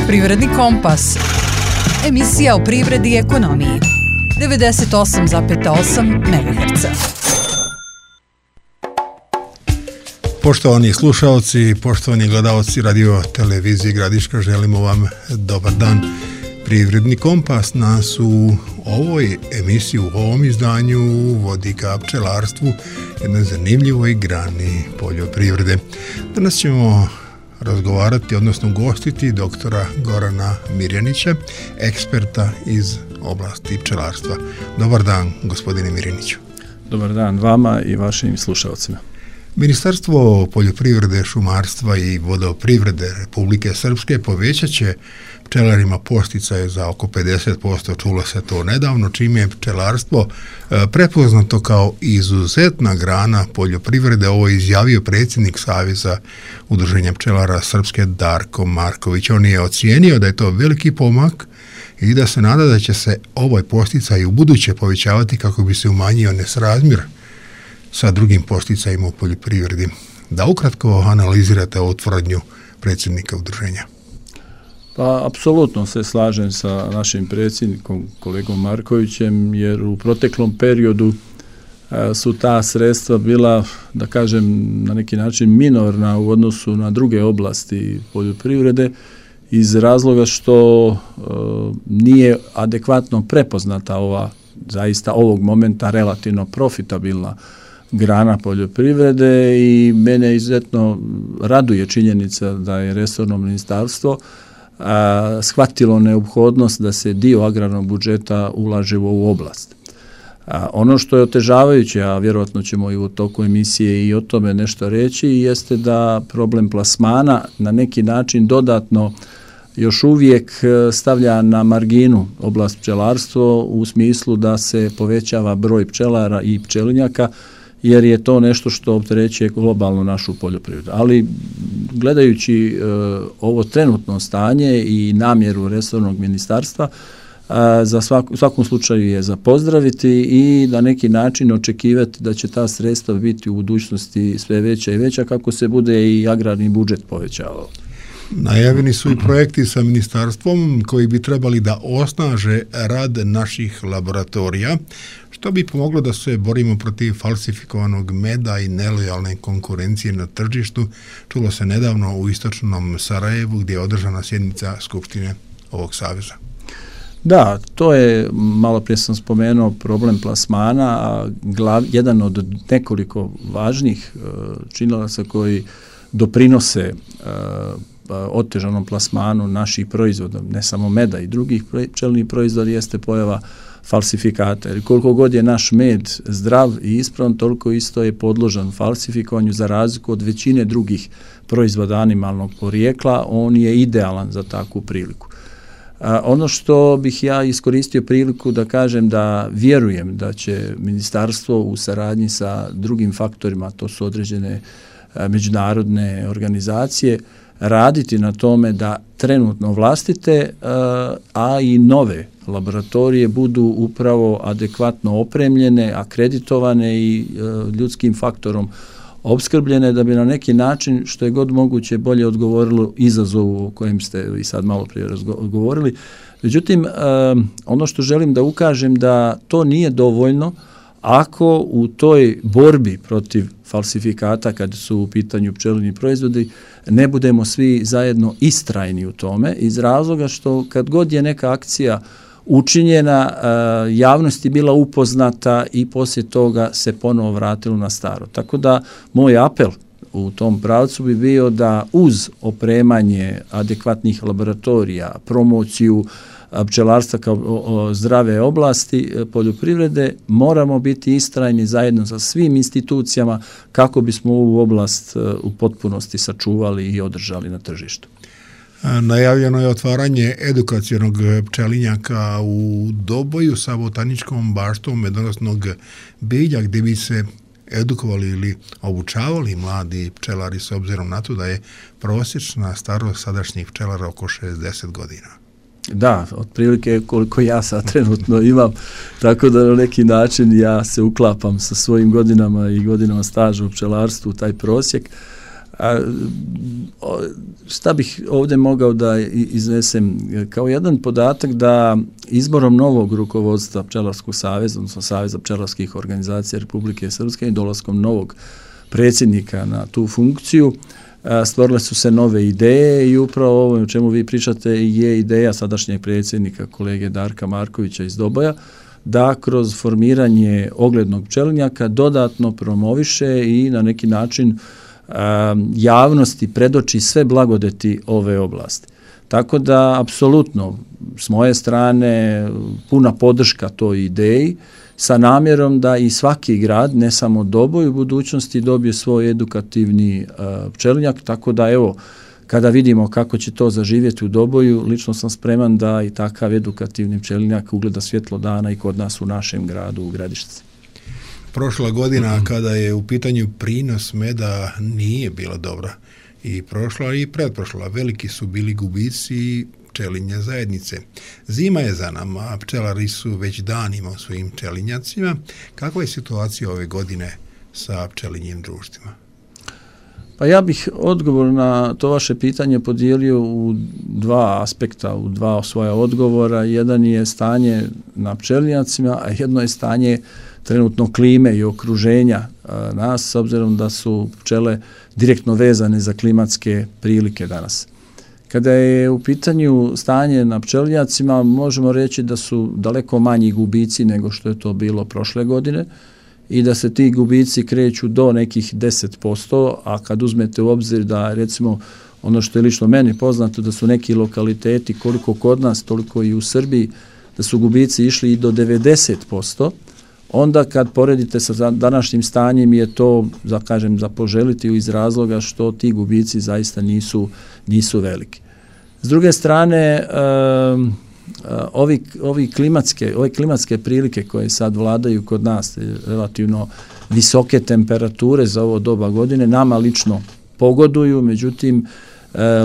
Poljoprivredni kompas. Emisija o privredi i ekonomiji. 98,8 MHz. Poštovani slušalci, poštovani gledalci radio televizije Gradiška, želimo vam dobar dan. Privredni kompas nas u ovoj emisiji, u ovom izdanju vodi ka pčelarstvu, jednoj zanimljivoj grani poljoprivrede. Danas ćemo razgovarati, odnosno gostiti doktora Gorana Mirjanića, eksperta iz oblasti pčelarstva. Dobar dan, gospodine Mirjaniću. Dobar dan vama i vašim slušalcima. Ministarstvo poljoprivrede, šumarstva i vodoprivrede Republike Srpske povećat će pčelarima posticaje za oko 50%, čulo se to nedavno, čime je pčelarstvo prepoznato kao izuzetna grana poljoprivrede. Ovo je izjavio predsjednik Saveza udruženja pčelara Srpske Darko Marković. On je ocijenio da je to veliki pomak i da se nada da će se ovaj posticaj u buduće povećavati kako bi se umanjio nesrazmjer sa drugim posticajima u poljoprivredi. Da ukratko analizirate ovu tvrdnju predsjednika udruženja. Pa, apsolutno se slažem sa našim predsjednikom, kolegom Markovićem, jer u proteklom periodu su ta sredstva bila, da kažem, na neki način minorna u odnosu na druge oblasti poljoprivrede, iz razloga što nije adekvatno prepoznata ova, zaista ovog momenta relativno profitabilna grana poljoprivrede, i mene izuzetno raduje činjenica da je resorno ministarstvo shvatilo neophodnost da se dio agrarnog budžeta ulaže u ovu oblast. Ono što je otežavajuće, a vjerojatno ćemo i u toku emisije i o tome nešto reći, jeste da problem plasmana na neki način dodatno još uvijek stavlja na marginu oblast pčelarstvo u smislu da se povećava broj pčelara i pčelinjaka, jer je to nešto što opterećuje globalno našu poljoprivredu. Ali gledajući ovo trenutno stanje i namjeru resornog ministarstva, u svakom slučaju je za pozdraviti i na neki način očekivati da će ta sredstva biti u budućnosti sve veća i veća kako se bude i agrarni budžet povećavao. Najavljeni su i projekti sa ministarstvom koji bi trebali da osnaže rad naših laboratorija, što bi pomoglo da se borimo protiv falsifikovanog meda i nelojalne konkurencije na tržištu. Čulo se nedavno u istočnom Sarajevu gdje je održana sjednica Skupštine ovog saveza. Da, to je, malo prije sam spomenuo, problem plasmana, a jedan od nekoliko važnih činilaca koji doprinose otežanom plasmanu naših proizvoda, ne samo meda i drugih pčelnih proizvoda, jeste pojava falsifikata. Jer koliko god je naš med zdrav i ispravan, toliko isto je podložan falsifikovanju, za razliku od većine drugih proizvoda animalnog porijekla. On je idealan za takvu priliku. Ono što bih ja iskoristio priliku da kažem, da vjerujem da će ministarstvo u saradnji sa drugim faktorima, to su određene međunarodne organizacije, raditi na tome da trenutno vlastite, a i nove laboratorije budu upravo adekvatno opremljene, akreditovane i ljudskim faktorom opskrbljene, da bi na neki način, što je god moguće, bolje odgovorilo izazovu o kojem ste i sad malo prije govorili. Međutim, ono što želim da ukažem, da to nije dovoljno ako u toj borbi protiv falsifikata, kad su u pitanju pčelinji proizvodi, ne budemo svi zajedno istrajni u tome, iz razloga što kad god je neka akcija učinjena, javnost je bila upoznata i poslije toga se ponovo vratilo na staro. Tako da moj apel u tom pravcu bi bio da uz opremanje adekvatnih laboratorija, promociju pčelarstva kao zdrave oblasti poljoprivrede, moramo biti istrajni zajedno sa svim institucijama kako bismo ovu oblast u potpunosti sačuvali i održali na tržištu. Najavljeno je otvaranje edukacionog pčelinjaka u Doboju sa botaničkom baštom medonosnog bilja, gdje bi se edukovali ili obučavali mladi pčelari, s obzirom na to da je prosječna starost sadašnjih pčelara oko 60 godina. Da, otprilike koliko ja sad trenutno imam, tako da na neki način ja se uklapam sa svojim godinama i godinama staža u pčelarstvu u taj prosjek. Šta bih ovdje mogao da iznesem? Kao jedan podatak da izborom novog rukovodstva Pčelarskog saveza, odnosno Saveza pčelarskih organizacija Republike Srpske i dolaskom novog predsjednika na tu funkciju, stvorile su se nove ideje i upravo ovo o čemu vi pričate je ideja sadašnjeg predsjednika kolege Darka Markovića iz Doboja, da kroz formiranje oglednog pčelinjaka dodatno promoviše i na neki način javnosti predoči sve blagodeti ove oblasti. Tako da, apsolutno, s moje strane, puna podrška toj ideji, sa namjerom da i svaki grad, ne samo Doboj, u budućnosti dobije svoj edukativni pčelinjak, tako da, evo, kada vidimo kako će to zaživjeti u Doboju, lično sam spreman da i takav edukativni pčelinjak ugleda svjetlo dana i kod nas u našem gradu, u Gradišci. Prošla godina kada je u pitanju prinos meda nije bila dobra i prošla i pretprošla. Veliki su bili gubici pčelinje zajednice. Zima je za nama, pčelari su već danima u svojim pčelinjacima. Kakva je situacija ove godine sa pčelinjim društvima? Pa ja bih odgovor na to vaše pitanje podijelio u dva aspekta, u dva svoja odgovora. Jedan je stanje na pčelinjacima, a jedno je stanje trenutno klime i okruženja nas, s obzirom da su pčele direktno vezane za klimatske prilike danas. Kada je u pitanju stanje na pčelinjacima, možemo reći da su daleko manji gubici nego što je to bilo prošle godine i da se ti gubici kreću do nekih 10%, a kad uzmete u obzir da, recimo, ono što je lično meni poznato, da su neki lokaliteti, koliko kod nas, toliko i u Srbiji, da su gubici išli i do 90%, onda kad poredite sa današnjim stanjem je to, za poželiti iz razloga što ti gubici zaista nisu veliki. S druge strane, ove klimatske prilike koje sad vladaju kod nas, relativno visoke temperature za ovo doba godine, nama lično pogoduju, međutim,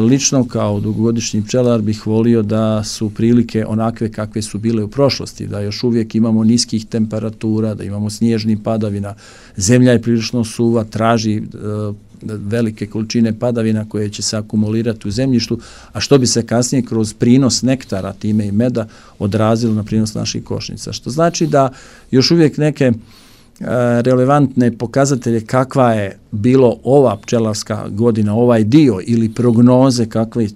lično kao dugogodišnji pčelar bih volio da su prilike onakve kakve su bile u prošlosti, da još uvijek imamo niskih temperatura, da imamo snježnih padavina, zemlja je prilično suva, traži velike količine padavina koje će se akumulirati u zemljištu, a što bi se kasnije kroz prinos nektara, time i meda, odrazilo na prinos naših košnica. Što znači da još uvijek neke relevantne pokazatelje kakva je bilo ova pčelarska godina, ovaj dio ili prognoze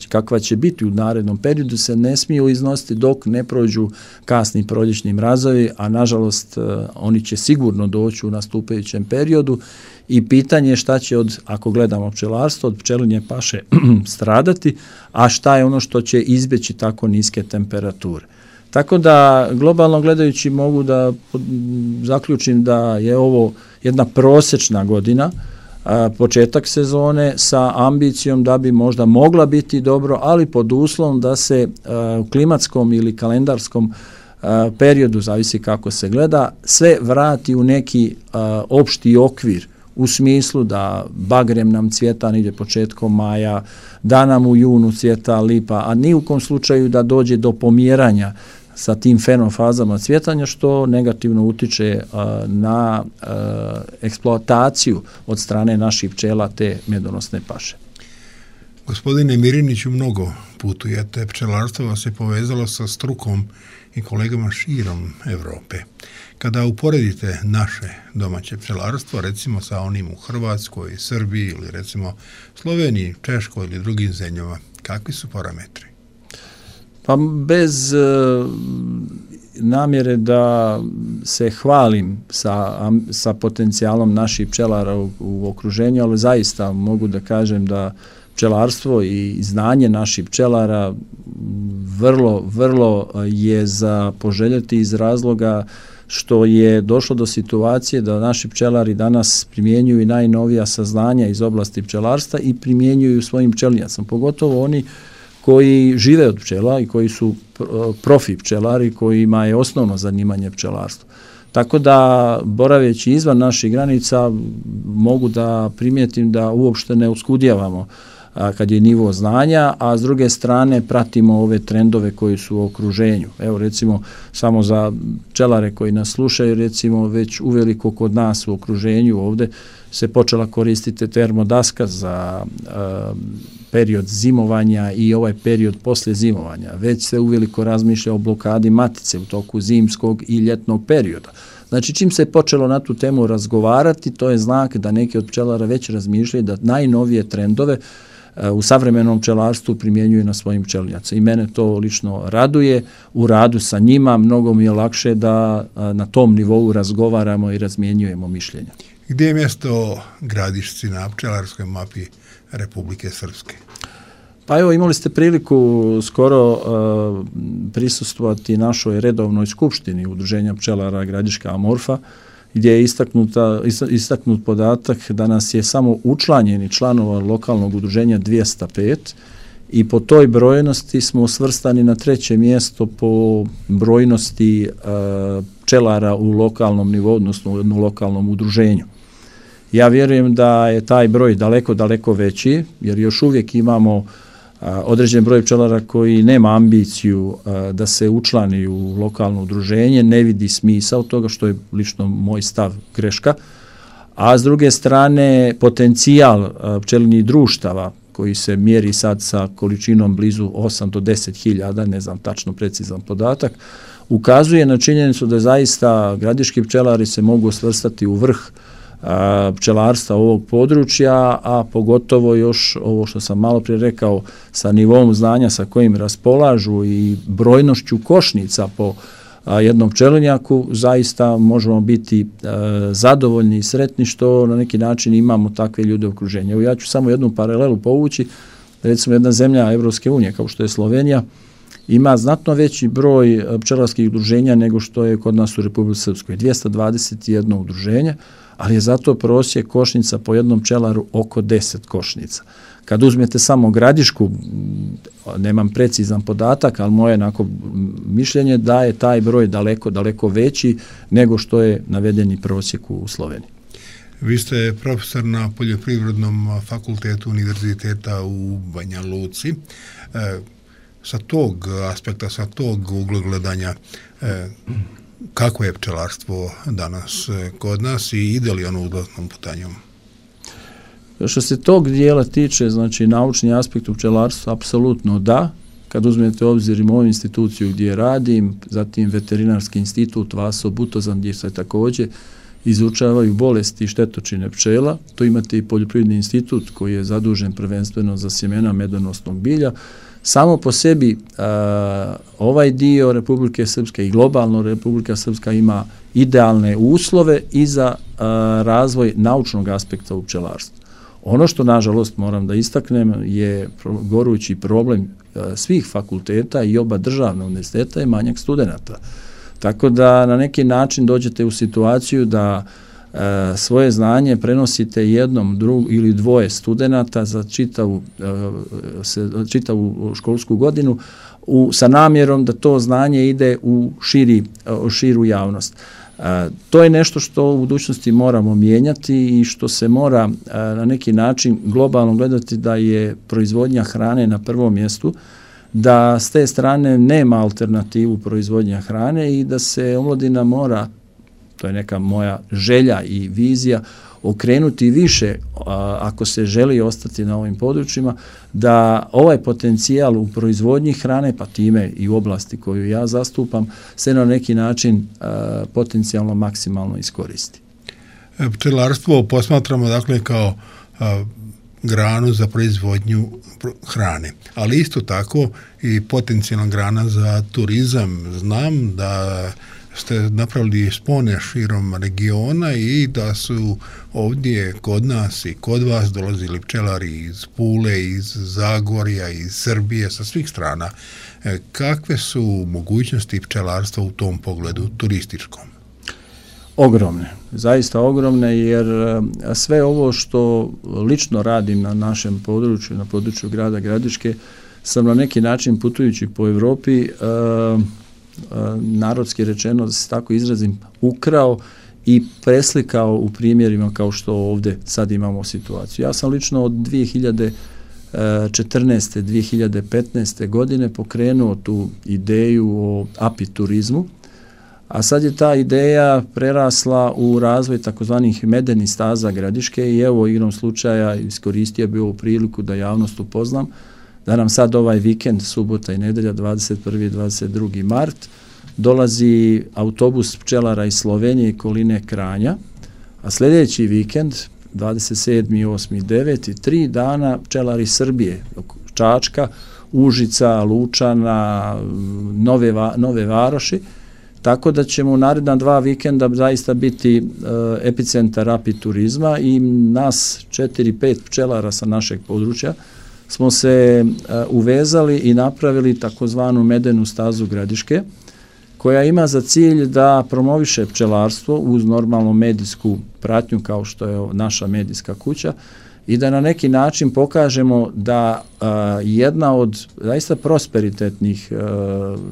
kakva će biti u narednom periodu se ne smiju iznositi dok ne prođu kasni proljećni mrazovi, a nažalost oni će sigurno doći u nastupajućem periodu i pitanje je šta će ako gledamo pčelarstvo, od pčelinje paše stradati, a šta je ono što će izbjeći tako niske temperature. Tako da, globalno gledajući, mogu da zaključim da je ovo jedna prosječna godina, početak sezone sa ambicijom da bi možda mogla biti dobro, ali pod uslovom da se u klimatskom ili kalendarskom periodu, zavisi kako se gleda, sve vrati u neki opšti okvir, u smislu da bagrem nam cvjeta negdje početkom maja, da nam u junu cvjeta lipa, a ni u kom slučaju da dođe do pomjeranja sa tim fenofazama cvjetanja, što negativno utiče na eksploataciju od strane naših pčela te medonosne paše. Gospodine Miriniću, mnogo putujete, pčelarstvo vas je povezalo sa strukom i kolegama širom Europe. Kada uporedite naše domaće pčelarstvo, recimo sa onim u Hrvatskoj, Srbiji ili recimo Sloveniji, Češkoj ili drugim zemljama, kakvi su parametri? Pa bez namjere da se hvalim sa potencijalom naših pčelara u okruženju, ali zaista mogu da kažem da pčelarstvo i znanje naših pčelara vrlo je za poželjeti iz razloga što je došlo do situacije da naši pčelari danas primjenjuju i najnovija saznanja iz oblasti pčelarstva i primjenjuju svojim pčelinjacima, pogotovo oni koji žive od pčela i koji su profi pčelari, kojima je osnovno zanimanje pčelarstvo. Tako da, boraveći izvan naših granica, mogu da primijetim da uopšte ne uskudijevamo kad je nivo znanja, a s druge strane pratimo ove trendove koji su u okruženju. Evo recimo samo za pčelare koji nas slušaju, recimo već uveliko kod nas u okruženju ovdje se počela koristiti termodaska za period zimovanja i ovaj period poslije zimovanja. Već se uveliko razmišlja o blokadi matice u toku zimskog i ljetnog perioda. Znači, čim se je počelo na tu temu razgovarati, to je znak da neki od pčelara već razmišljaju da najnovije trendove u savremenom pčelarstvu primjenjuju na svojim pčelinjacima. I mene to lično raduje. U radu sa njima mnogo mi je lakše da na tom nivou razgovaramo i razmjenjujemo mišljenja. Gdje je mjesto Gradišci na pčelarskoj mapi Republike Srpske? Pa evo, imali ste priliku skoro prisustvovati našoj redovnoj skupštini Udruženja pčelara Gradiška Amorfa, gdje je istaknut podatak da nas je samo učlanjeni članova lokalnog udruženja 205 i po toj brojnosti smo svrstani na 3. mjesto po brojnosti pčelara u lokalnom nivou, odnosno u jednom lokalnom udruženju. Ja vjerujem da je taj broj daleko, daleko veći, jer još uvijek imamo određen broj pčelara koji nema ambiciju da se učlani u lokalno udruženje, ne vidi smisao toga, što je lično moj stav greška, a s druge strane potencijal pčelinjih društava koji se mjeri sad sa količinom blizu 8 do 10.000, ne znam tačno precizan podatak, ukazuje na činjenicu da zaista gradiški pčelari se mogu svrstati u vrh pčelarstva ovog područja, a pogotovo još ovo što sam malo prije rekao sa nivom znanja sa kojim raspolažu i brojnošću košnica po jednom pčelinjaku, zaista možemo biti zadovoljni i sretni što na neki način imamo takve ljude u okruženju. Evo, ja ću samo jednu paralelu povući. Recimo jedna zemlja Evropske unije kao što je Slovenija ima znatno veći broj pčelarskih udruženja nego što je kod nas u Republici Srpskoj. 221 udruženje, ali je zato prosjek košnica po jednom pčelaru oko 10 košnica. Kad uzmete samo Gradišku, nemam precizan podatak, ali moje mišljenje da je taj broj daleko, daleko veći nego što je navedeni prosjek u Sloveniji. Vi ste profesor na Poljoprivrednom fakultetu Univerziteta u Banja Luci. Sa tog aspekta, sa tog ugla gledanja, kako je pčelarstvo danas kod nas i ide li ono uzlaznom putanjom? Što se tog dijela tiče, znači naučni aspekt u pčelarstvu, apsolutno da. Kad uzmete u obzir i moju instituciju gdje radim, zatim Veterinarski institut Vaso Butozan gdje se također izučavaju bolesti i štetočine pčela, to imate i Poljoprivredni institut koji je zadužen prvenstveno za sjemena medonosnog bilja. Samo po sebi ovaj dio Republike Srpske i globalno Republika Srpska ima idealne uslove i za razvoj naučnog aspekta u pčelarstvu. Ono što, nažalost, moram da istaknem je gorući problem svih fakulteta i oba državna univerziteta je manjak studenata. Tako da na neki način dođete u situaciju da svoje znanje prenosite jednom, ili dvoje studenata za čitavu školsku godinu sa namjerom da to znanje ide u širu javnost. To je nešto što u budućnosti moramo mijenjati i što se mora na neki način globalno gledati da je proizvodnja hrane na prvom mjestu, da s te strane nema alternativu proizvodnja hrane i da se omladina mora, to je neka moja želja i vizija, okrenuti više, ako se želi ostati na ovim područjima, da ovaj potencijal u proizvodnji hrane, pa time i u oblasti koju ja zastupam, se na neki način potencijalno maksimalno iskoristi. Pčelarstvo posmatramo dakle kao granu za proizvodnju hrane, ali isto tako i potencijalna grana za turizam. Znam da ste napravili spone širom regiona i da su ovdje kod nas i kod vas dolazili pčelari iz Pule, iz Zagorja, iz Srbije, sa svih strana. Kakve su mogućnosti pčelarstva u tom pogledu turističkom? Ogromne, zaista ogromne, jer sve ovo što lično radim na našem području, na području grada Gradiške, sam na neki način putujući po Europi, narodski rečeno, da se tako izrazim, ukrao i preslikao u primjerima kao što ovdje sad imamo situaciju. Ja sam lično od 2000 2015. godine pokrenuo tu ideju o apiturizmu, a sad je ta ideja prerasla u razvoj takozvanih medenih staza Gradiške i evo igrom slučaja iskoristio bi ovu priliku da javnost upoznam da nam sad ovaj vikend, subota i nedelja, 21. i 22. mart, dolazi autobus pčelara iz Slovenije i okoline Kranja, a sljedeći vikend, 27. 8. 9. 3 dana pčelari Srbije, Čačka, Užica, Lučana, Nove Varoši, tako da ćemo u naredna 2 vikenda zaista biti epicentar apiturizma i nas 4-5 pčelara sa našeg područja smo se uvezali i napravili takozvanu medenu stazu Gradiške, koja ima za cilj da promoviše pčelarstvo uz normalnu medijsku pratnju kao što je naša medijska kuća i da na neki način pokažemo da jedna od zaista prosperitetnih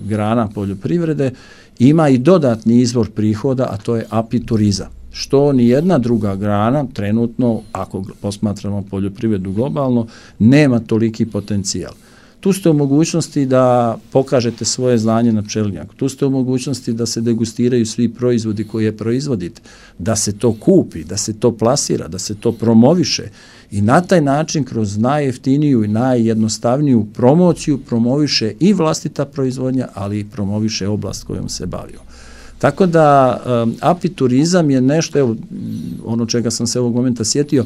grana poljoprivrede ima i dodatni izvor prihoda, a to je apiturizam. Što ni jedna druga grana trenutno, ako posmatramo poljoprivredu globalno, nema toliki potencijal. Tu ste u mogućnosti da pokažete svoje znanje na pčelinjaku. Tu ste u mogućnosti da se degustiraju svi proizvodi koje proizvodite, da se to kupi, da se to plasira, da se to promoviše i na taj način kroz najjeftiniju i najjednostavniju promociju promoviše i vlastita proizvodnja, ali i promoviše oblast kojom se bavio. Tako da apiturizam je nešto, evo, ono čega sam se ovog momenta sjetio,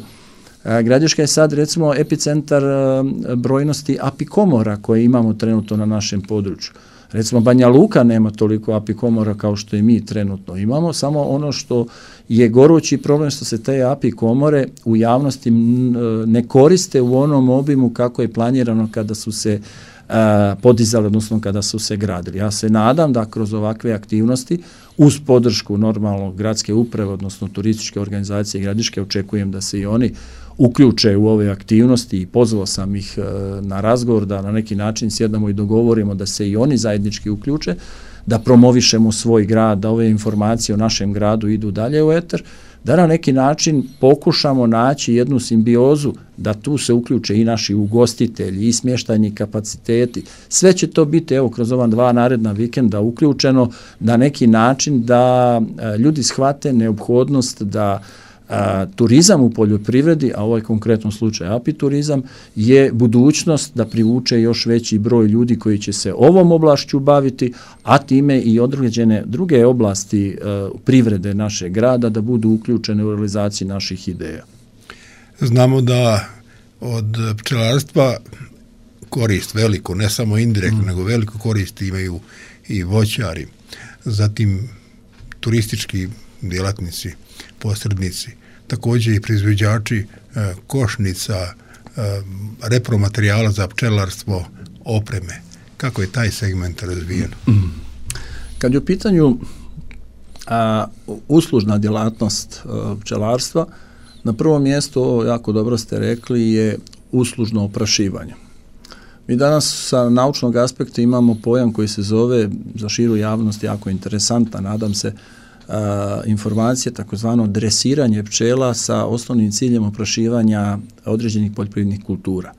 Gradiška je sad recimo epicentar brojnosti apikomora koje imamo trenutno na našem području. Recimo Banja Luka nema toliko apikomora kao što i mi trenutno imamo, samo ono što je gorući problem što se te apikomore u javnosti ne koriste u onom obimu kako je planirano kada su se podizali, odnosno kada su se gradili. Ja se nadam da kroz ovakve aktivnosti uz podršku normalno gradske uprave, odnosno turističke organizacije Gradiške, očekujem da se i oni uključe u ove aktivnosti i pozvao sam ih na razgovor da na neki način sjedamo i dogovorimo da se i oni zajednički uključe, da promovišemo svoj grad, da ove informacije o našem gradu idu dalje u eter, da na neki način pokušamo naći jednu simbiozu, da tu se uključe i naši ugostitelji i smještajni kapaciteti. Sve će to biti evo kroz ova 2 naredna vikenda uključeno na neki način da ljudi shvate neophodnost da turizam u poljoprivredi, a ovaj konkretnom slučaju apiturizam, je budućnost da privuče još veći broj ljudi koji će se ovom oblašću baviti, a time i određene druge oblasti privrede našeg grada da budu uključene u realizaciji naših ideja. Znamo da od pčelarstva korist veliku, ne samo indirektno, nego veliku korist imaju i voćari, zatim turistički djelatnici, posrednici, također i proizvođači košnica, repromaterijala za pčelarstvo, opreme. Kako je taj segment razvijen? Kad je u pitanju uslužna djelatnost pčelarstva, na prvom mjestu, jako dobro ste rekli, je uslužno oprašivanje. Mi danas sa naučnog aspekta imamo pojam koji se zove, za širu javnost jako interesantan, nadam se, informacije, takozvano dresiranje pčela sa osnovnim ciljem oprašivanja određenih poljoprivrednih kultura.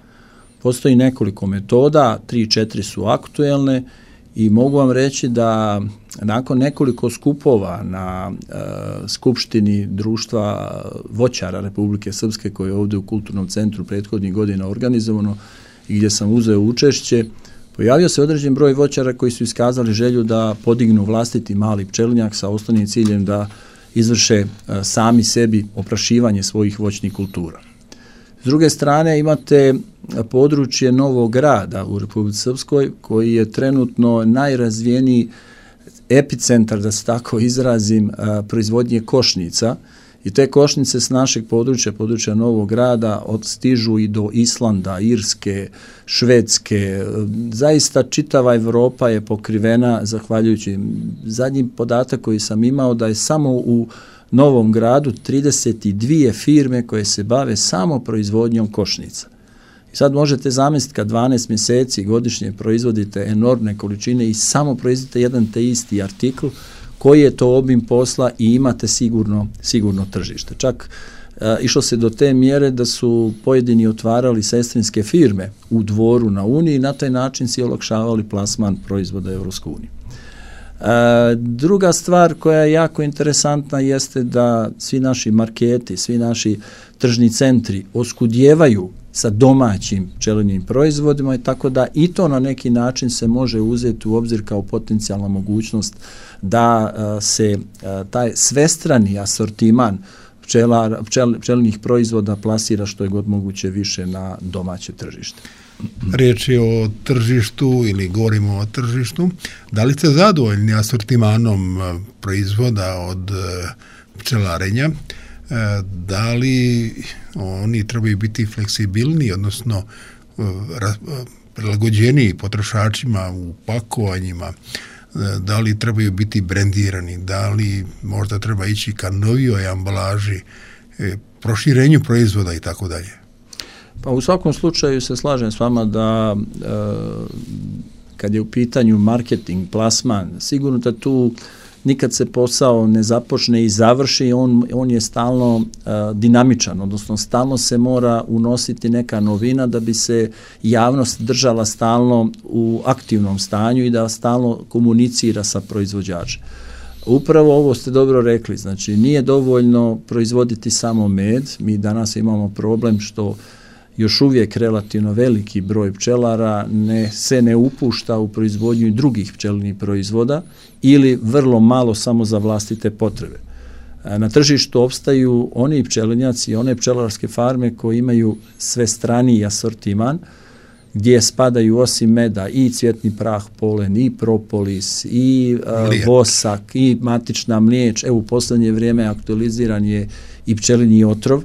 Postoji nekoliko metoda, 3-4 su aktuelne i mogu vam reći da nakon nekoliko skupova na skupštini društva voćara Republike Srpske koje je ovdje u Kulturnom centru prethodnih godina organizovano i gdje sam uzeo učešće, pojavio se određen broj voćara koji su iskazali želju da podignu vlastiti mali pčelinjak sa osnovnim ciljem da izvrše sami sebi oprašivanje svojih voćnih kultura. S druge strane imate područje Novog Grada u Republici Srpskoj koji je trenutno najrazvijeniji epicentar, da se tako izrazim, proizvodnje košnica. I te košnice s našeg područja Novog Grada stižu i do Islanda, Irske, Švedske. Zaista čitava Evropa je pokrivena zahvaljujući. Zadnji podatak koji sam imao da je samo u Novom Gradu 32 firme koje se bave samo proizvodnjom košnica. I sad možete zamisliti kad 12 mjeseci godišnje proizvodite enormne količine i samo proizvodite jedan te isti artikl, koji je to obim posla i imate sigurno tržište. Čak išlo se do te mjere da su pojedini otvarali sestrinske firme u Dvoru na Uniji i na taj način si olakšavali plasman proizvoda Europskoj uniji. Druga stvar koja je jako interesantna jeste da svi naši marketi, svi naši tržni centri oskudijevaju sa domaćim pčelinjim proizvodima i tako da i to na neki način se može uzeti u obzir kao potencijalna mogućnost da se taj svestrani asortiman pčelinjih proizvoda plasira što je god moguće više na domaće tržište. Riječ je o tržištu ili govorimo o tržištu. Da li ste zadovoljni asortimanom proizvoda od pčelarenja? Da li oni trebaju biti fleksibilniji, odnosno prilagođeniji potrošačima u pakovanjima? Da li trebaju biti brendirani? Da li možda treba ići ka novijoj ambalaži, proširenju proizvoda i tako dalje? Pa u svakom slučaju se slažem s vama da kad je u pitanju marketing, plasman, sigurno da tu nikad se posao ne započne i završi, on je stalno dinamičan, odnosno stalno se mora unositi neka novina da bi se javnost držala stalno u aktivnom stanju i da stalno komunicira sa proizvođačem. Upravo ovo ste dobro rekli, znači nije dovoljno proizvoditi samo med, mi danas imamo problem što još uvijek relativno veliki broj pčelara se ne upušta u proizvodnju drugih pčelinjih proizvoda ili vrlo malo samo za vlastite potrebe. Na tržištu opstaju oni pčelinjaci i one pčelarske farme koji imaju sve straniji asortiman gdje spadaju osim meda i cvjetni prah, polen, i propolis, i vosak, i matična mliječ. Evo u posljednje vrijeme aktualiziran je i pčelinji otrov,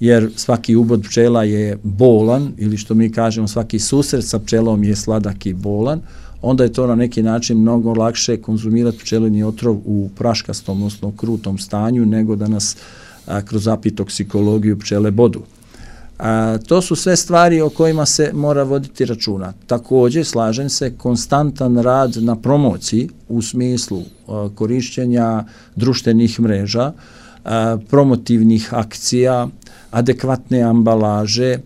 jer svaki ubod pčela je bolan, ili što mi kažemo svaki susret sa pčelom je sladak i bolan, onda je to na neki način mnogo lakše konzumirati pčelinji otrov u praškastom, odnosno krutom stanju, nego da nas kroz apitoksikologiju pčele bodu. To su sve stvari o kojima se mora voditi računa. Također, slažem se, konstantan rad na promociji u smislu korišćenja društvenih mreža, promotivnih akcija, adekvatne ambalaže.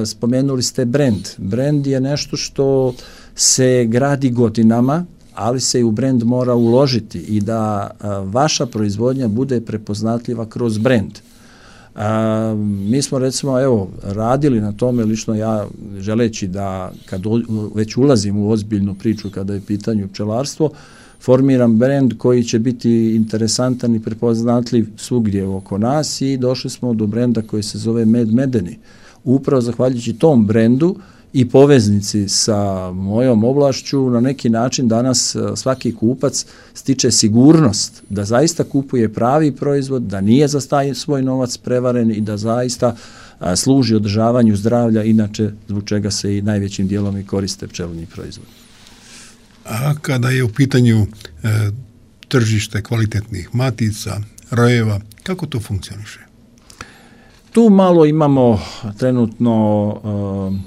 Spomenuli ste brend. Brend je nešto što se gradi godinama, ali se i u brend mora uložiti i da vaša proizvodnja bude prepoznatljiva kroz brend. Mi smo recimo radili na tome, lično ja želeći da kad već ulazim u ozbiljnu priču kada je pitanje pčelarstvo, formiram brend koji će biti interesantan i prepoznatljiv svugdje oko nas i došli smo do brenda koji se zove Med Medeni. Upravo zahvaljujući tom brendu i poveznici sa mojom oblašću na neki način danas svaki kupac stiče sigurnost da zaista kupuje pravi proizvod, da nije za taj svoj novac prevaren i da zaista služi održavanju zdravlja, inače zbog čega se i najvećim dijelom i koriste pčelinji proizvod. A kada je u pitanju tržište kvalitetnih matica, rojeva, kako to funkcioniše? Tu malo imamo trenutno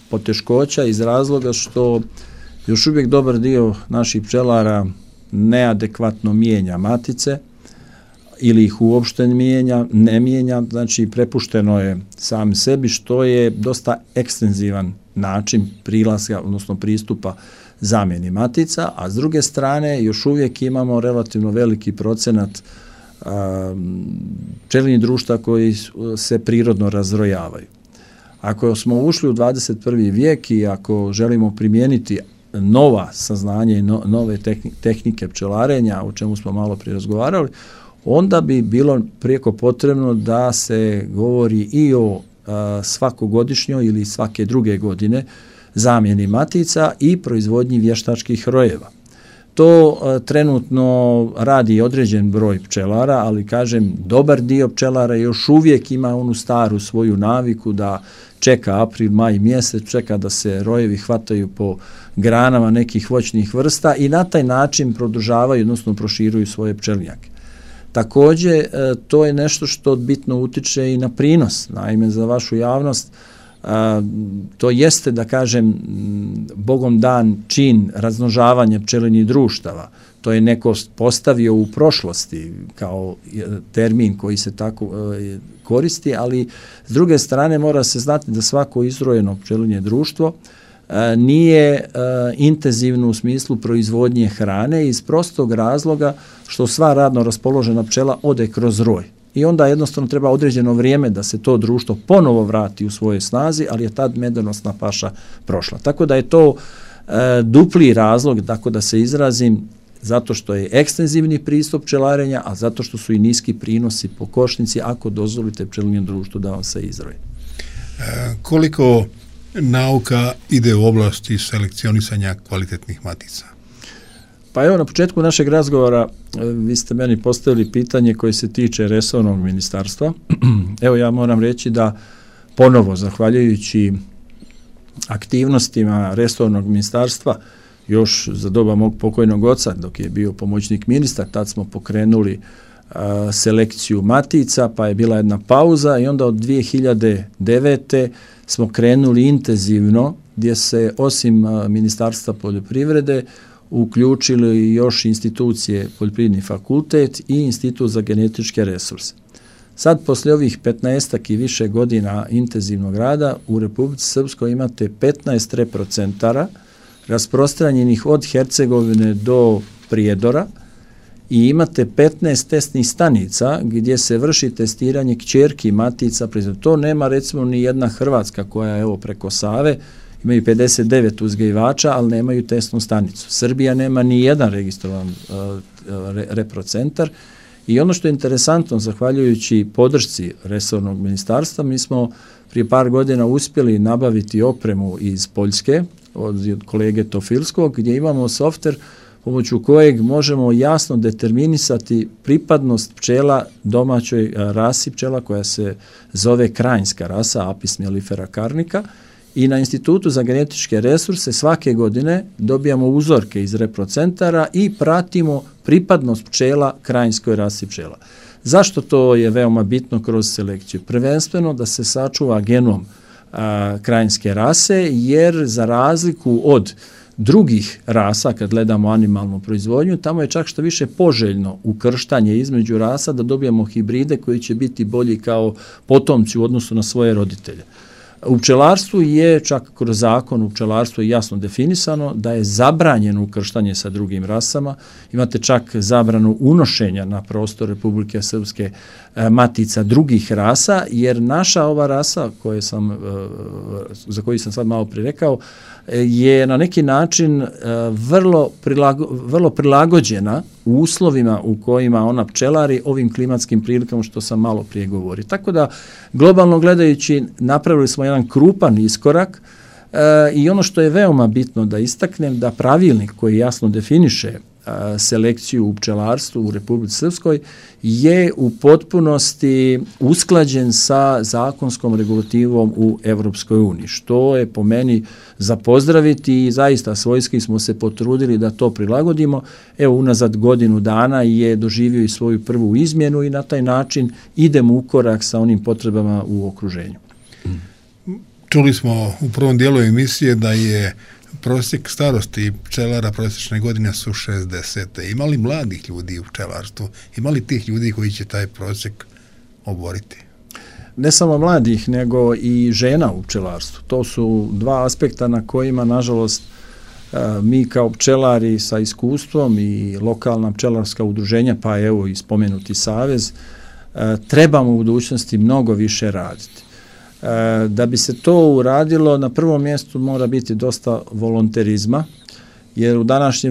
poteškoća iz razloga što još uvijek dobar dio naših pčelara neadekvatno mijenja matice ili ih uopšte ne mijenja, znači prepušteno je sam sebi, što je dosta ekstenzivan način prilaska, odnosno pristupa zamjeni matica, a s druge strane još uvijek imamo relativno veliki procenat pčelinjih društva koji se prirodno razrojavaju. Ako smo ušli u 21. vijek i ako želimo primijeniti nova saznanja i nove tehnike pčelarenja, o čemu smo malo prije razgovarali, onda bi bilo prijeko potrebno da se govori i o svakogodišnjoj ili svake druge godine zamjeni matica i proizvodnji vještačkih rojeva. To trenutno radi određen broj pčelara, ali kažem, dobar dio pčelara još uvijek ima onu staru svoju naviku da čeka april, maj mjesec, čeka da se rojevi hvataju po granama nekih voćnih vrsta i na taj način produžavaju, odnosno proširuju svoje pčelinjake. Također, to je nešto što bitno utiče i na prinos. Naime, za vašu javnost, to jeste, da kažem, bogom dan čin razmnožavanja pčelinjih društava. To je neko postavio u prošlosti kao termin koji se tako koristi, ali s druge strane mora se znati da svako izrojeno pčelinje društvo nije intenzivno u smislu proizvodnje hrane iz prostog razloga što sva radno raspoložena pčela ode kroz roj. I onda jednostavno treba određeno vrijeme da se to društvo ponovo vrati u svojoj snazi, ali je tad medonosna paša prošla. Tako da je to dupli razlog, tako da se izrazim, zato što je ekstenzivni pristup pčelarenja, a zato što su i niski prinosi po košnici ako dozvolite pčelinjem društvu da vam se izroji. Koliko nauka ide u oblasti selekcionisanja kvalitetnih matica? Pa evo, na početku našeg razgovora vi ste meni postavili pitanje koje se tiče resornog ministarstva. Evo, ja moram reći da ponovo, zahvaljujući aktivnostima resornog ministarstva, još za doba mog pokojnog oca, dok je bio pomoćnik ministra, tad smo pokrenuli selekciju matica, pa je bila jedna pauza i onda od 2009. smo krenuli intenzivno, gdje se osim Ministarstva poljoprivrede uključili još institucije Poljoprivredni fakultet i Institut za genetičke resurse. Sad, poslije ovih 15 i više godina intenzivnog rada, u Republici Srpskoj imate 15 reprocentara rasprostranjenih od Hercegovine do Prijedora i imate 15 testnih stanica gdje se vrši testiranje kćerki matica. To nema recimo ni jedna Hrvatska koja je evo preko Save, imaju 59 uzgajivača, ali nemaju testnu stanicu. Srbija nema ni jedan registrovan reprocentar i ono što je interesantno, zahvaljujući podršci resornog ministarstva, mi smo prije par godina uspjeli nabaviti opremu iz Poljske od kolege Tofilskog, gdje imamo softver pomoću kojeg možemo jasno determinisati pripadnost pčela domaćoj rasi pčela koja se zove krajinska rasa Apis mellifera carnica i na Institutu za genetičke resurse svake godine dobijamo uzorke iz reprocentara i pratimo pripadnost pčela krajinskoj rasi pčela. Zašto to je veoma bitno kroz selekciju? Prvenstveno da se sačuva genom krajinske rase, jer za razliku od drugih rasa, kad gledamo animalnu proizvodnju, tamo je čak što više poželjno ukrštanje između rasa da dobijemo hibride koji će biti bolji kao potomci u odnosu na svoje roditelje. U pčelarstvu je, čak kroz zakon u pčelarstvu je jasno definisano da je zabranjeno ukrštanje sa drugim rasama. Imate čak zabranu unošenja na prostor Republike Srpske matica drugih rasa, jer naša ova rasa za koju sam sad malo prije rekao je na neki način vrlo prilagođena u uslovima u kojima ona pčelari ovim klimatskim prilikama što sam malo prije govorio. Tako da, globalno gledajući, napravili smo jedan krupan iskorak i ono što je veoma bitno da istaknem, da pravilnik koji jasno definiše selekciju u pčelarstvu u Republici Srpskoj je u potpunosti usklađen sa zakonskom regulativom u Evropskoj uniji, što je po meni za pozdraviti i zaista svojski smo se potrudili da to prilagodimo. Evo, unazad godinu dana je doživio i svoju prvu izmjenu i na taj način idemo u korak sa onim potrebama u okruženju. Čuli smo u prvom dijelu emisije da je prosjek starosti pčelara prosječne godine su 60. Ima li mladih ljudi u pčelarstvu? Ima li tih ljudi koji će taj prosjek oboriti? Ne samo mladih, nego i žena u pčelarstvu. To su dva aspekta na kojima, nažalost, mi kao pčelari sa iskustvom i lokalna pčelarska udruženja, pa evo i spomenuti savez, trebamo u budućnosti mnogo više raditi. Da bi se to uradilo, na prvom mjestu mora biti dosta volonterizma, jer u današnje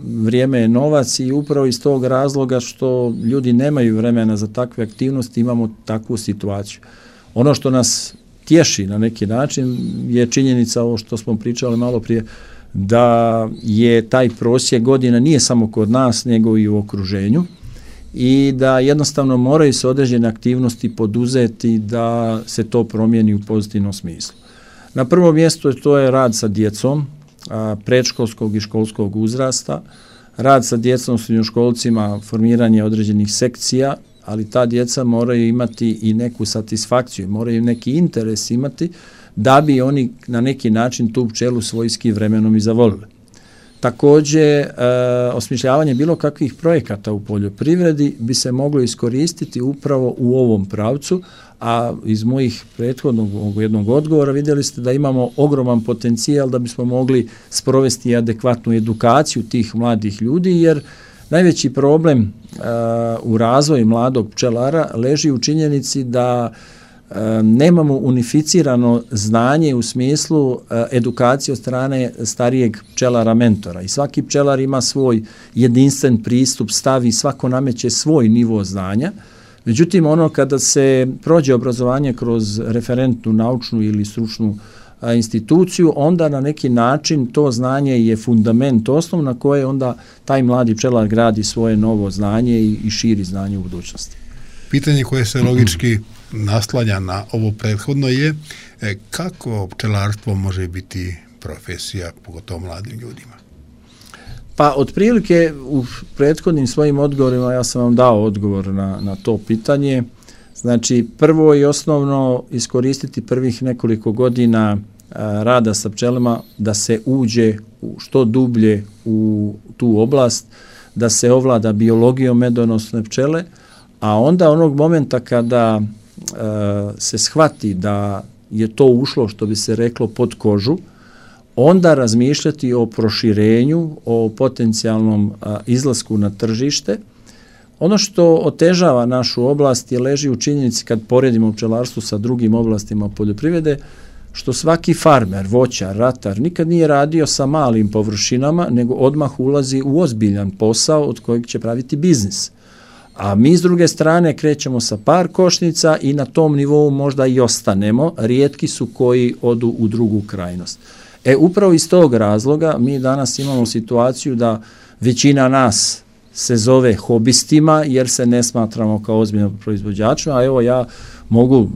vrijeme je novac i upravo iz tog razloga što ljudi nemaju vremena za takve aktivnosti imamo takvu situaciju. Ono što nas tješi na neki način je činjenica, ovo što smo pričali malo prije, da je taj prosjek godina nije samo kod nas nego i u okruženju i da jednostavno moraju se određene aktivnosti poduzeti da se to promijeni u pozitivnom smislu. Na prvom mjestu to je rad sa djecom predškolskog i školskog uzrasta, rad sa djecom, srednjoškolcima, formiranje određenih sekcija, ali ta djeca moraju imati i neku satisfakciju, moraju neki interes imati da bi oni na neki način tu pčelu svojski vremenom i zavolili. Također, osmišljavanje bilo kakvih projekata u poljoprivredi bi se moglo iskoristiti upravo u ovom pravcu, a iz mojih prethodnog jednog odgovora vidjeli ste da imamo ogroman potencijal da bismo mogli sprovesti adekvatnu edukaciju tih mladih ljudi, jer najveći problem u razvoju mladog pčelara leži u činjenici da nemamo unificirano znanje u smislu edukacije od strane starijeg pčelara mentora i svaki pčelar ima svoj jedinstven pristup, stavi, svako nameće svoj nivo znanja. Međutim, ono kada se prođe obrazovanje kroz referentnu, naučnu ili stručnu instituciju, onda na neki način to znanje je fundament osnov na koje onda taj mladi pčelar gradi svoje novo znanje i širi znanje u budućnosti. Pitanje koje se logički naslanja na ovo prethodno je kako pčelarstvo može biti profesija, pogotovo mladim ljudima? Pa otprilike u prethodnim svojim odgovorima ja sam vam dao odgovor na to pitanje. Znači, prvo i osnovno iskoristiti prvih nekoliko godina rada sa pčelama da se uđe što dublje u tu oblast, da se ovlada biologijom medonosne pčele, a onda onog momenta kada se shvati da je to ušlo, što bi se reklo, pod kožu, onda razmišljati o proširenju, o potencijalnom izlasku na tržište. Ono što otežava našu oblast je leži u činjenici kad poredimo pčelarstvo sa drugim oblastima poljoprivrede, što svaki farmer, voćar, ratar nikad nije radio sa malim površinama, nego odmah ulazi u ozbiljan posao od kojeg će praviti biznis. A mi s druge strane krećemo sa par košnica i na tom nivou možda i ostanemo, rijetki su koji odu u drugu krajnost. Upravo iz tog razloga mi danas imamo situaciju da većina nas se zove hobistima jer se ne smatramo kao ozbiljnim proizvođačima, a evo ja mogu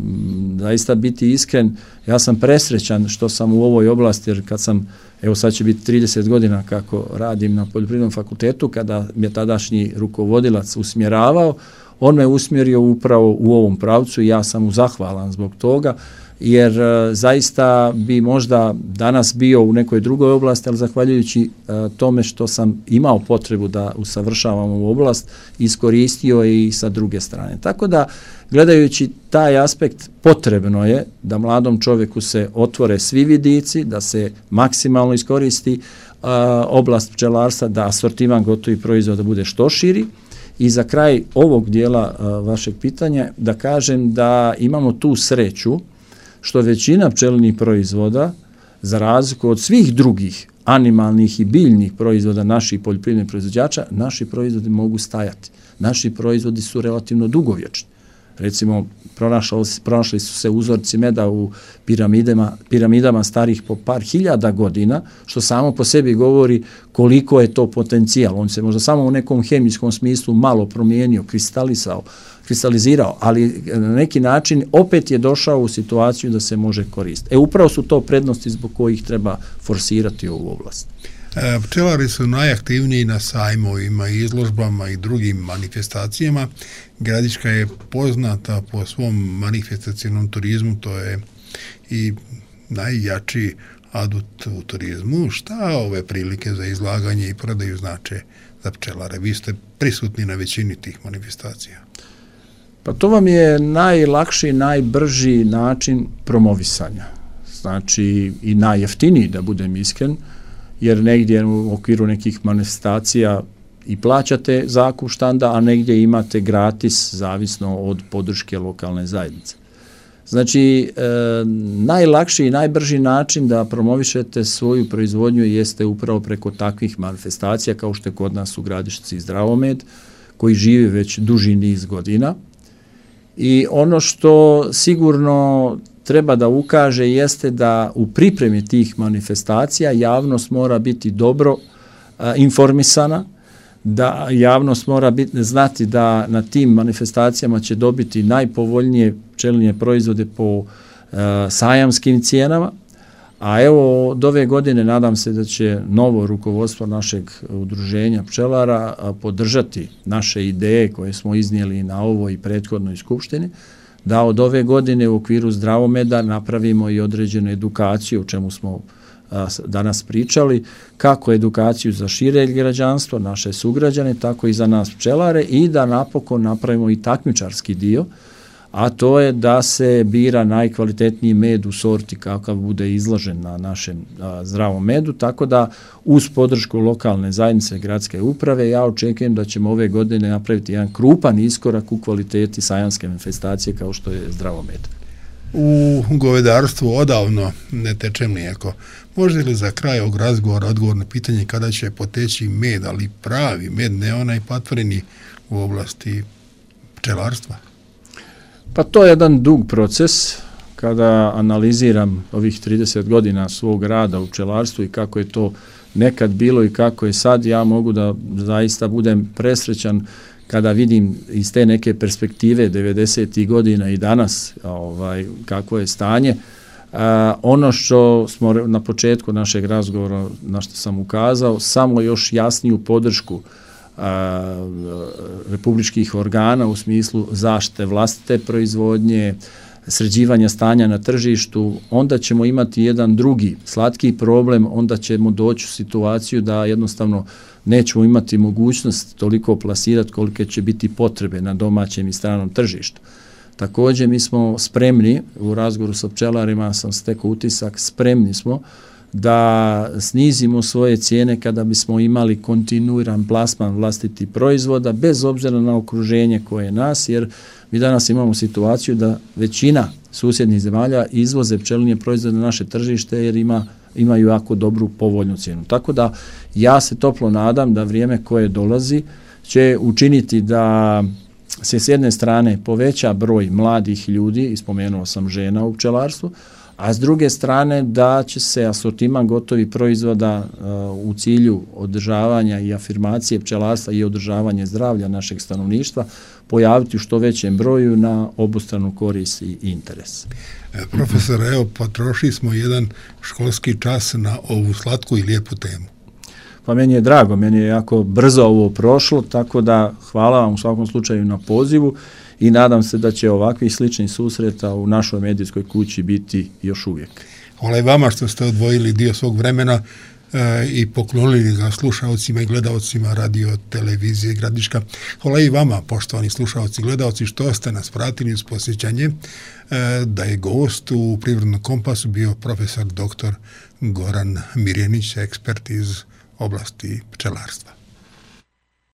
zaista biti iskren, ja sam presrećan što sam u ovoj oblasti, jer kad sam, evo sad će biti 30 godina kako radim na Poljoprivrednom fakultetu, kada mi je tadašnji rukovodilac usmjeravao, on me usmjerio upravo u ovom pravcu i ja sam mu zahvalan zbog toga, jer zaista bi možda danas bio u nekoj drugoj oblasti, ali zahvaljujući tome što sam imao potrebu da usavršavam ovu oblast, iskoristio i sa druge strane. Tako da, gledajući taj aspekt, potrebno je da mladom čovjeku se otvore svi vidici, da se maksimalno iskoristi oblast pčelarstva, da asortiman gotovih proizvoda bude što širi. I za kraj ovog dijela vašeg pitanja da kažem da imamo tu sreću što većina pčelinjih proizvoda, za razliku od svih drugih animalnih i biljnih proizvoda naših poljoprivrednih proizvođača, naši proizvodi mogu stajati. Naši proizvodi su relativno dugovječni. Recimo, pronašli su se uzorci meda u piramidama starih po par hiljada godina, što samo po sebi govori koliko je to potencijal. On se možda samo u nekom hemijskom smislu malo promijenio, kristalizirao, ali na neki način opet je došao u situaciju da se može koristiti. Upravo su to prednosti zbog kojih treba forsirati ovu oblast. Pčelari su najaktivniji na sajmovima, izložbama i drugim manifestacijama. Gradiška je poznata po svom manifestacijnom turizmu, to je i najjači adut u turizmu. Šta ove prilike za izlaganje i prodaju znače za pčelare? Vi ste prisutni na većini tih manifestacija. Pa to vam je najlakši, najbrži način promovisanja. Znači i najjeftiniji, da budem iskren, jer negdje u okviru nekih manifestacija i plaćate zakup štanda, a negdje imate gratis, zavisno od podrške lokalne zajednice. Znači, najlakši i najbrži način da promovišete svoju proizvodnju jeste upravo preko takvih manifestacija, kao što je kod nas u Gradišci Zdravomed, koji živi već duži niz godina. I ono što sigurno treba da ukaže jeste da u pripremi tih manifestacija javnost mora biti dobro informisana, da javnost mora znati da na tim manifestacijama će dobiti najpovoljnije pčelinje proizvode po sajamskim cijenama, a evo od ove godine nadam se da će novo rukovodstvo našeg udruženja pčelara podržati naše ideje koje smo iznijeli na ovoj i prethodnoj skupštini, da od ove godine u okviru Zdravomeda napravimo i određenu edukaciju, o čemu smo danas pričali, kako edukaciju za šire građanstvo, naše sugrađane, tako i za nas pčelare, i da napokon napravimo i takmičarski dio, a to je da se bira najkvalitetniji med u sorti kakav bude izložen na našem Zdravom medu, tako da uz podršku lokalne zajednice gradske uprave ja očekujem da ćemo ove godine napraviti jedan krupan iskorak u kvaliteti sajanske manifestacije kao što je Zdravo med. U govedarstvu odavno ne teče mlijeko. Može li za kraj ovog razgovora odgovor na pitanje kada će poteći med, ali pravi med, ne onaj patvoreni u oblasti pčelarstva? Pa to je jedan dug proces. Kada analiziram ovih 30 godina svog rada u pčelarstvu i kako je to nekad bilo i kako je sad, ja mogu da zaista budem presrećan kada vidim iz te neke perspektive 90. godina i danas kako je stanje. Ono što smo na početku našeg razgovora, na što sam ukazao, samo još jasniju podršku republičkih organa u smislu zaštite vlastite proizvodnje, sređivanja stanja na tržištu, onda ćemo imati jedan drugi slatki problem, onda ćemo doći u situaciju da jednostavno nećemo imati mogućnost toliko plasirati kolike će biti potrebe na domaćem i stranom tržištu. Također mi smo spremni, u razgovoru sa pčelarima sam stekao utisak, spremni smo da snizimo svoje cijene kada bismo imali kontinuiran plasman vlastitih proizvoda bez obzira na okruženje koje je nas, jer mi danas imamo situaciju da većina susjednih zemalja izvoze pčelinje proizvode na naše tržište jer imaju jako dobru povoljnu cijenu. Tako da ja se toplo nadam da vrijeme koje dolazi će učiniti da se s jedne strane poveća broj mladih ljudi, spomenuo sam žena u pčelarstvu, a s druge strane da će se asortiman gotovih proizvoda u cilju održavanja i afirmacije pčelarstva i održavanje zdravlja našeg stanovništva pojaviti u što većem broju na obostranu korist i interes. Profesor, evo, potrošili smo jedan školski čas na ovu slatku i lijepu temu. Pa meni je drago, meni je jako brzo ovo prošlo, tako da hvala vam u svakom slučaju na pozivu i nadam se da će ovakvih sličnih susreta u našoj medijskoj kući biti još uvijek. Hvala i vama što ste odvojili dio svog vremena i poklonili ga slušaocima i gledaocima radio televizije Gradiška. Hvala i vama, poštovani slušaoci i gledaoci, što ste nas pratili uz posjećanje da je gost u Privrednom kompasu bio profesor dr. Goran Mirjanić, ekspert iz oblasti pčelarstva.